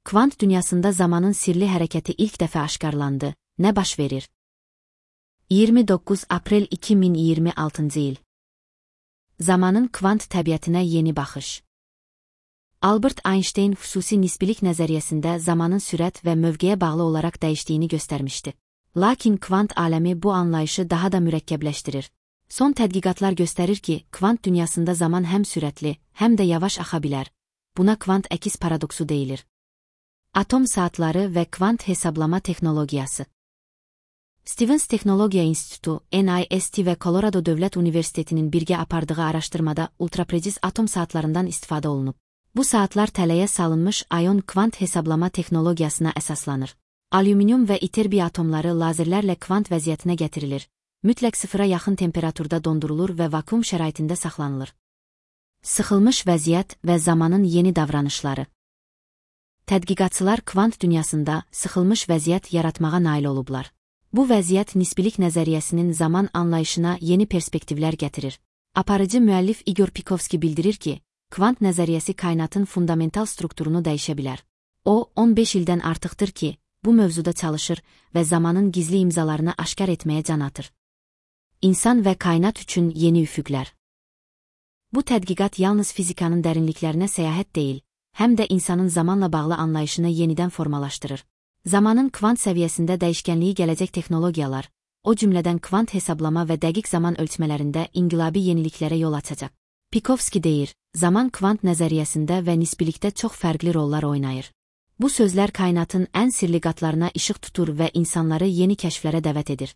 Kvant dünyasında zamanın sirli hərəkəti ilk dəfə aşkarlandı. Nə baş verir? 29 Aprel 2026 il. Zamanın kvant təbiətinə yeni baxış. Albert Einstein xüsusi nisbilik nəzəriyyəsində zamanın sürət və mövqeyə bağlı olaraq dəyişdiyini göstərmişdi. Lakin kvant aləmi bu anlayışı daha da mürəkkəbləşdirir. Son tədqiqatlar göstərir ki, kvant dünyasında zaman həm sürətli, həm də yavaş axa bilər. Buna kvant əkiz paradoksu deyilir. Atom saatları və kvant hesablama texnologiyası. Stevens Texnologiya İnstitutu, NIST və Colorado Dövlət Universitetinin birgə apardığı araşdırmada ultrapreciz atom saatlarından istifadə olunub. Bu saatlar tələyə salınmış ayon kvant hesablama texnologiyasına əsaslanır. Alüminium və iterbiy atomları lazerlərlə kvant vəziyyətinə gətirilir. Mütləq sıfıra yaxın temperaturda dondurulur və vakuum şəraitində saxlanılır. Sıxılmış vəziyyət və zamanın yeni davranışları. Tədqiqatçılar kvant dünyasında sıxılmış vəziyyət yaratmağa nail olublar. Bu vəziyyət nisbilik nəzəriyyəsinin zaman anlayışına yeni perspektivlər gətirir. Aparıcı müəllif Igor Pikovski bildirir ki, kvant nəzəriyyəsi kainatın fundamental strukturunu dəyişə bilər. O, 15 ildən artıqdır ki, bu mövzuda çalışır və zamanın gizli imzalarını aşkar etməyə can atır. İnsan və kainat üçün yeni üfüqlər. Bu tədqiqat yalnız fizikanın dərinliklərinə səyahət deyil, həm də insanın zamanla bağlı anlayışını yenidən formalaşdırır. Zamanın kvant səviyyəsində dəyişkənliyi gələcək texnologiyalar, o cümlədən kvant hesablama və dəqiq zaman ölçmələrində inqilabi yeniliklərə yol açacaq. Pikovski deyir, zaman kvant nəzəriyyəsində və nisbilikdə çox fərqli rollar oynayır. Bu sözlər kainatın ən sirli qatlarına işıq tutur və insanları yeni kəşflərə dəvət edir.